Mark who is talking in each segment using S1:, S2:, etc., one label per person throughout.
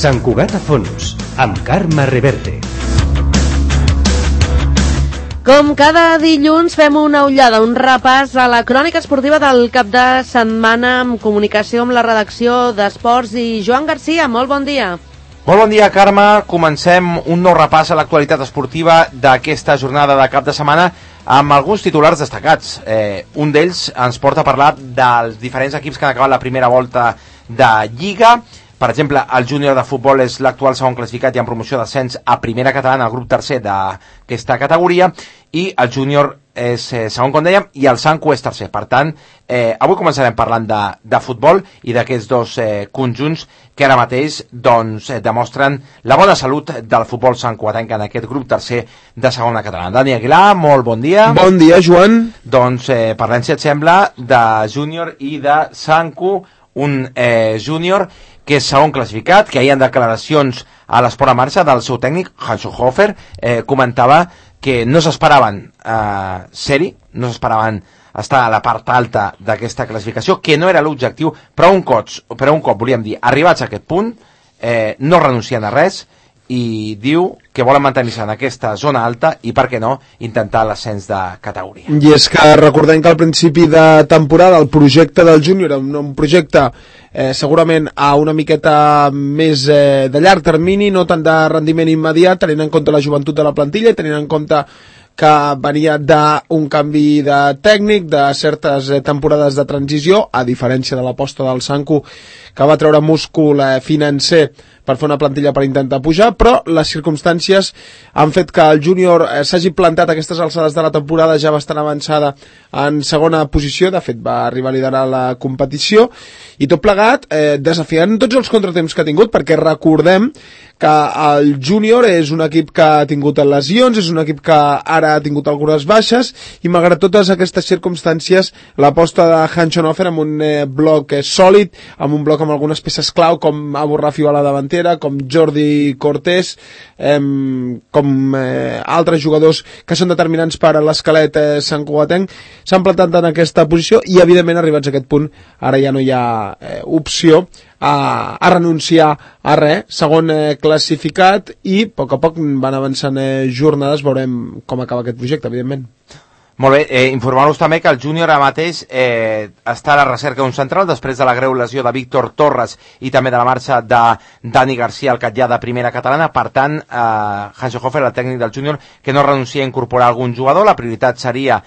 S1: Sant Cugat a fons, amb Carme Reverte.
S2: Com cada dilluns fem una ullada, un repàs a la crònica esportiva del cap de setmana amb comunicació amb la redacció d'Esports i Joan Garcia. Molt bon dia.
S3: Molt bon dia, Carme. Comencem un nou repàs a l'actualitat esportiva d'aquesta jornada de cap de setmana amb alguns titulars destacats. Un d'ells ens porta a parlar dels diferents equips que han acabat la primera volta de Lliga. Per exemple, el júnior de futbol és l'actual segon classificat i en promoció d'ascens a primera catalana, al grup tercer d'aquesta categoria, i el júnior és segon, com dèiem, i el Sanco és tercer. Per tant, avui començarem parlant de futbol i d'aquests dos conjunts que ara mateix demostren la bona salut del futbol sancoatenc en aquest grup tercer de segona catalana. Dani Aguilar, molt bon dia.
S4: Bon dia, Joan.
S3: Doncs parlem, si et sembla, de júnior i de Sanco, un júnior que és segon classificat, que ahir en declaracions a l'Esport a Marxa del seu tècnic, Hanso Hofer, comentava que no s'esperaven ser-hi, no s'esperaven estar a la part alta d'aquesta classificació, que no era l'objectiu, però un cop, volíem dir, arribats a aquest punt, no renuncien a res, i diu que volen mantenir-se en aquesta zona alta i, per què no, intentar l'ascens de categoria.
S4: I és que recordem que al principi de temporada el projecte del júnior era un projecte segurament a una miqueta més de llarg termini, no tant de rendiment immediat, tenint en compte la joventut de la plantilla i tenint en compte que venia d'un canvi de tècnic, de certes temporades de transició, a diferència de l'aposta del Sanco, que va treure múscul financer per fer una plantilla per intentar pujar, però les circumstàncies han fet que el júnior s'hagi plantat a aquestes alçades de la temporada ja bastant avançada en segona posició. De fet va arribar a liderar la competició, i tot plegat desafiant tots els contratemps que ha tingut, perquè recordem que el júnior és un equip que ha tingut lesions, és un equip que ara ha tingut algunes baixes, i malgrat totes aquestes circumstàncies l'aposta de Hanso Hofer amb un bloc sòlid, amb un bloc amb algunes peces clau com Abu Rafi a la davantera, com Jordi Cortés, com altres jugadors que són determinants per a l'esquelet santcugatenc, s'han plantat en aquesta posició, i evidentment arribats a aquest punt ara ja no hi ha opció a renunciar a res. Segon classificat, i a poc van avançant jornades, veurem com acaba aquest projecte, evidentment.
S3: Molt bé, informar-vos també que el júnior ara mateix està a la recerca d'un central després de la greu lesió de Víctor Torres i també de la marxa de Dani Garcia, el catllà de primera catalana. Per tant, Hanso Hofer, el tècnic del júnior, que no renuncia a incorporar algun jugador. La prioritat seria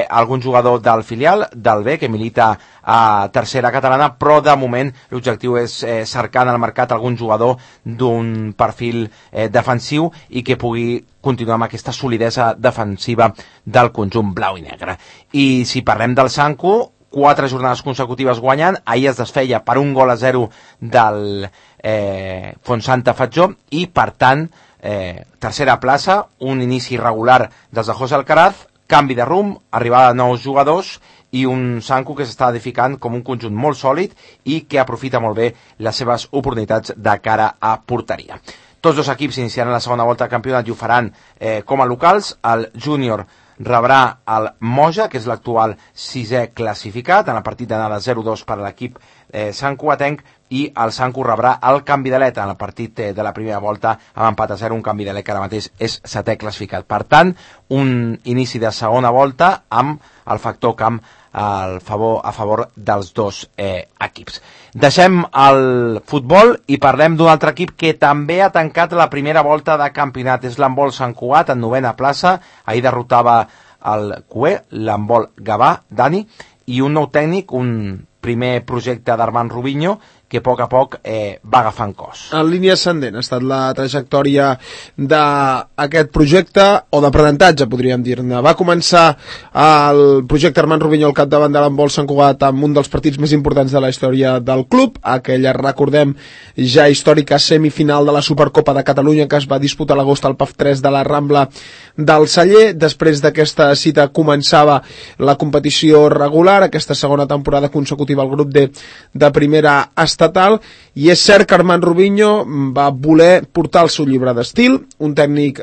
S3: algun jugador del filial, del B, que milita a tercera catalana, però de moment l'objectiu és cercar en el mercat algun jugador d'un perfil defensiu i que pugui continuar amb aquesta solidesa defensiva del conjunt blau i negre. I si parlem del Sanco, 4 jornades consecutives guanyant, ahir es desfeia per 1-0 del Fontsanta Fatjó, i per tant tercera plaça, un inici irregular dels de José Alcaraz, canvi de rumb, arribada de nous jugadors i un Sanco que s'està edificant com un conjunt molt sòlid i que aprofita molt bé les seves oportunitats de cara a porteria. Tots dos equips iniciaran la segona volta de campionat i ho faran com a locals. El júnior rebrà el Moja, que és l'actual sisè classificat, en el partit d'anada 0-2 per a l'equip santcugatenc, i el Sanco rebrà el Canvidalet en el partit de la primera volta amb empat a 0, un Canvidalet que ara mateix és setè classificat. Per tant, un inici de segona volta amb el factor camp a favor dels dos equips. Deixem el futbol i parlem d'un altre equip que també ha tancat la primera volta de campionat. És l'handbol Sant Cugat, en novena plaça. Ahir derrotava el CUE, l'handbol Gavà, Dani, i un nou tècnic, un primer projecte d'Armand Rubinho, que a poc va agafant cos.
S4: En línia ascendent ha estat la trajectòria d'aquest projecte, o d'aprenentatge, podríem dir-ne. Va començar el projecte Armand Rubinho al capdavant de l'handbol Sant Cugat amb un dels partits més importants de la història del club, aquella, recordem, ja històrica semifinal de la Supercopa de Catalunya que es va disputar a l'agost al PAF 3 de la Rambla del Celler. Després d'aquesta cita començava la competició regular, aquesta segona temporada consecutiva al grup de primera estatal, i és cert que Armand Rubinho va voler portar el seu llibre d'estil, un tècnic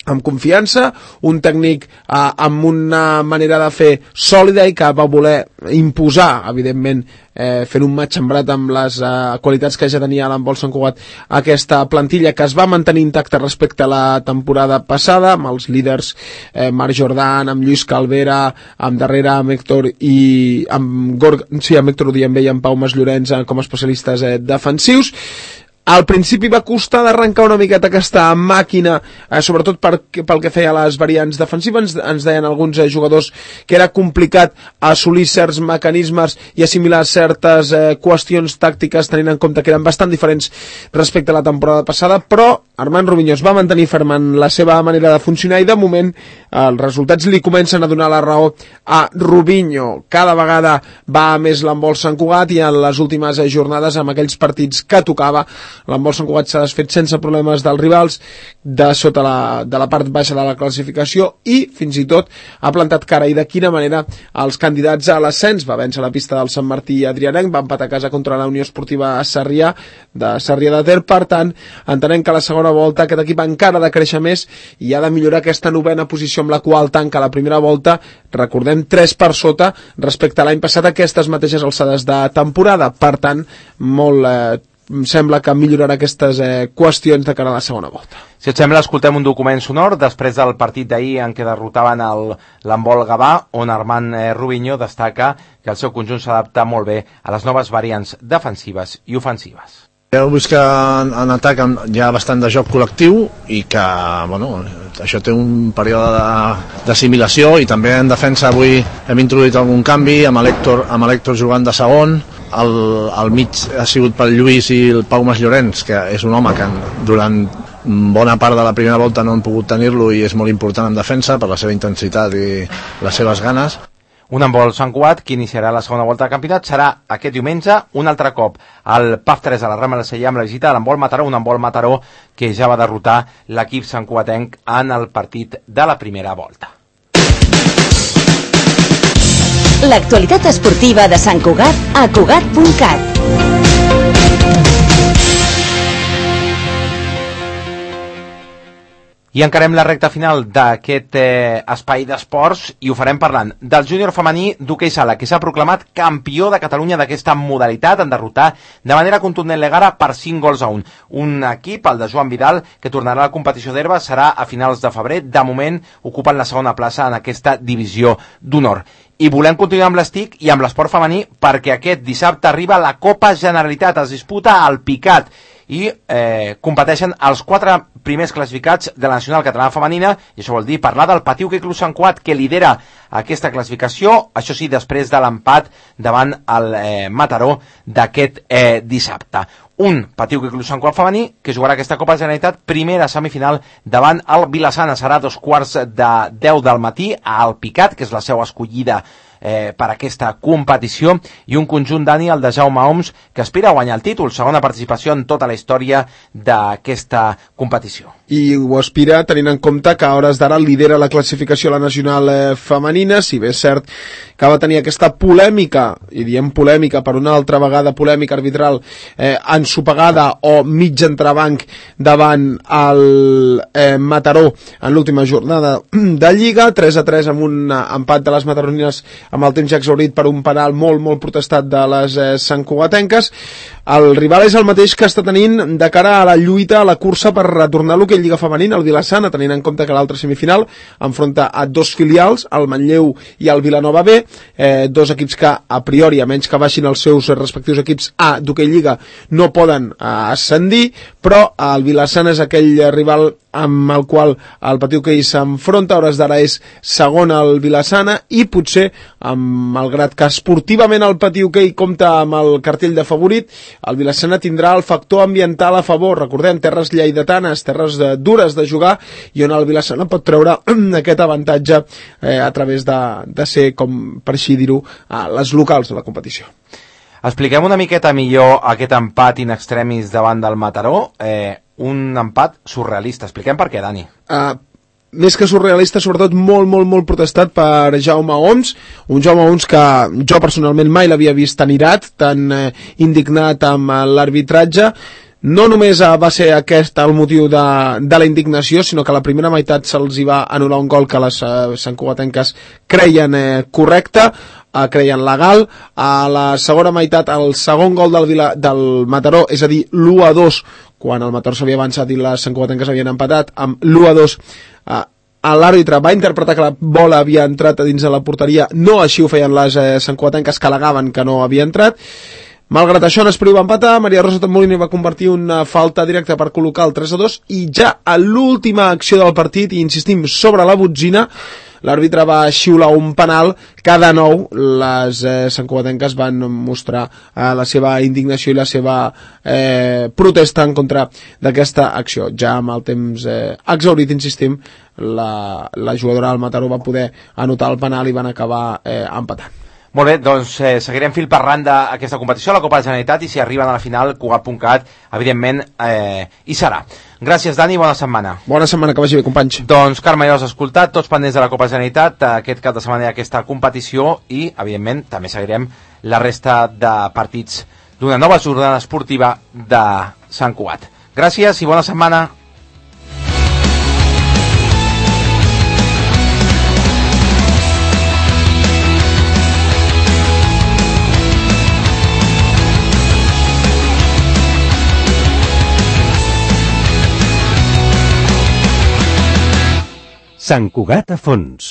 S4: amb confiança, un tècnic amb una manera de fer sòlida i que va voler imposar, evidentment, fent un match embrat amb les qualitats que ja tenia l'handbol Sant Cugat, aquesta plantilla que es va mantenir intacta respecte a la temporada passada, amb els líders Marc Jordan, amb Lluís Calvera, amb darrere amb Héctor i amb Héctor Odiambé i amb Pau Mas Llorenç com a especialistes defensius. Al principi va costar d'arrencar una miqueta aquesta màquina, sobretot pel que feia a les variants defensives. Ens deien alguns jugadors que era complicat assolir certs mecanismes i assimilar certes qüestions tàctiques, tenint en compte que eren bastant diferents respecte a la temporada passada, però Armand Rubinho es va mantenir ferm en la seva manera de funcionar i de moment els resultats li comencen a donar la raó a Rubinho. Cada vegada va més l'handbol Sant Cugat i en les últimes jornades, amb aquells partits que tocava, l'handbol Sant Cugat s'ha desfet sense problemes dels rivals de sota de la part baixa de la classificació i fins i tot ha plantat cara, i de quina manera, als candidats a l'ascens. Va vèncer la pista del Sant Martí Adrianenc, va empatar a casa contra la Unió Esportiva Sarrià de Ter. Per tant, entenem que a la segona volta aquest equip encara ha de créixer més i ha de millorar aquesta novena posició amb la qual tanca la primera volta, recordem, 3 per sota respecte a l'any passat a aquestes mateixes alçades de temporada. Per tant, sembla que millorarà aquestes qüestions de cara a la segona volta.
S3: Si et sembla, escoltem un document sonor després del partit d'ahir en què derrotaven l'handbol Gavà, on Armand Rubinho destaca que el seu conjunt s'adapta molt bé a les noves variants defensives i ofensives.
S5: Heu vist que en atac hi ha bastant de joc col·lectiu i que això té un període d'assimilació, i també en defensa avui hem introduït algun canvi amb l'Héctor jugant de segon. Al mig ha sigut pel Lluís i el Pau Mas Llorenç, que és un home que durant bona part de la primera volta no han pogut tenir-lo i és molt important en defensa per la seva intensitat i les seves ganes.
S3: Un handbol Sant Cugat que iniciarà la segona volta del campionat serà aquest diumenge, un altre cop al PAF 3 a la Rambla del Sella amb la visita de l'handbol Mataró, un handbol Mataró que ja va derrotar l'equip santcugatenc en el partit de la primera volta.
S6: L'actualitat esportiva de Sant Cugat a Cugat.cat.
S3: I encarem la recta final d'aquest espai d'esports i ho farem parlant del júnior femení d'hoquei sala, que s'ha proclamat campió de Catalunya d'aquesta modalitat en derrotar de manera contundent l'Egara per 5-1. Un equip, el de Joan Vidal, que tornarà a la competició d'herba, serà a finals de febrer. De moment ocupen la segona plaça en aquesta divisió d'honor. I volem continuar amb l'estic i amb l'esport femení perquè aquest dissabte arriba la Copa Generalitat, es disputa al Picat i competeixen els 4 primers classificats de la Nacional Catalana Femenina, i això vol dir parlar del Patí Hoquei Club Sant Cugat, que lidera aquesta classificació, això sí, després de l'empat davant el Mataró d'aquest dissabte. Un Patí Hoquei Club Sant Cugat femení que jugarà aquesta Copa Generalitat, primera semifinal davant el Vilassana, serà 2:45 del matí al Picat, que és la seu escollida per aquesta competició, i un conjunt, Dani, el de Jaume Oms, que aspira a guanyar el títol, segona participació en tota la història d'aquesta competició.
S4: I ho aspira tenint en compte que a hores d'ara lidera la classificació a la nacional femenina, si bé és cert que va tenir aquesta polèmica, i diem polèmica per una altra vegada, polèmica arbitral ensopegada o mig entrebanc davant el Mataró en l'última jornada de Lliga, 3-3 amb un empat de les mataronines amb el temps ja exhaurit per un penal molt protestat de les santcugatenques. El rival és el mateix que està tenint de cara a la lluita, a la cursa per retornar a l'hoquei Lliga Femenina, el Vilassana, tenint en compte que l'altra semifinal enfronta a 2 filials, el Manlleu i el Vilanova B, 2 equips que a priori, a menys que baixin els seus respectius equips A d'hoquei Lliga, no poden ascendir, però el Vilassana és aquell rival amb el qual el Patí Hoquei s'enfronta. A hores d'ara és segon al Vilassana i potser, malgrat que esportivament el Patí Hoquei compta amb el cartell de favorit, el Vilassana tindrà el factor ambiental a favor. Recordem, terres lleidatanes, terres dures de jugar, i on el Vilassana pot treure aquest avantatge a través de ser, com per així dir-ho, les locals de la competició.
S3: Expliquem una miqueta millor aquest empat in extremis davant del Mataró, un empat surrealista. Expliquem per què, Dani.
S4: Més que surrealista, sobretot molt protestat per Jaume Oms, un Jaume Oms que jo personalment mai l'havia vist tan irat, tan indignat amb l'arbitratge. no només va ser aquest el motiu de la indignació, sinó que a la primera meitat se'ls hi va anul·lar un gol que les santcugatenques creien correcte, creien legal. A la segona meitat, el segon gol del Mataró, és a dir, l'1-2, quan el Mataró s'havia avançat i les santcugatenques havien empatat, amb l'1-2 l'àrbitre va interpretar que la bola havia entrat a dins de la porteria, no així ho feien les santcugatenques, que al·legaven que no havia entrat. Malgrat això, Nespriu va empatar, Maria Rosa Tambolini va convertir una falta directa per col·locar el 3-2, i ja a l'última acció del partit, i insistim sobre la botzina, l'àrbitre va xiular un penal que de nou les santcugatenques van mostrar la seva indignació i la seva protesta en contra d'aquesta acció. Ja amb el temps exhaurit, insistim, la jugadora del Mataró va poder anotar el penal i van acabar empatant.
S3: Molt bé, doncs seguirem fil per randa aquesta competició a la Copa de la Generalitat, i si arriben a la final, Cugat.cat, evidentment, hi serà. Gràcies, Dani, bona setmana.
S4: Bona setmana, que vagi bé, companys.
S3: Doncs, Carme, ja us has escoltat, tots pendents de la Copa de la Generalitat, aquest cap de setmana aquesta competició, i, evidentment, també seguirem la resta de partits d'una nova jornada esportiva de Sant Cugat. Gràcies i bona setmana.
S1: Sant Cugat a fons.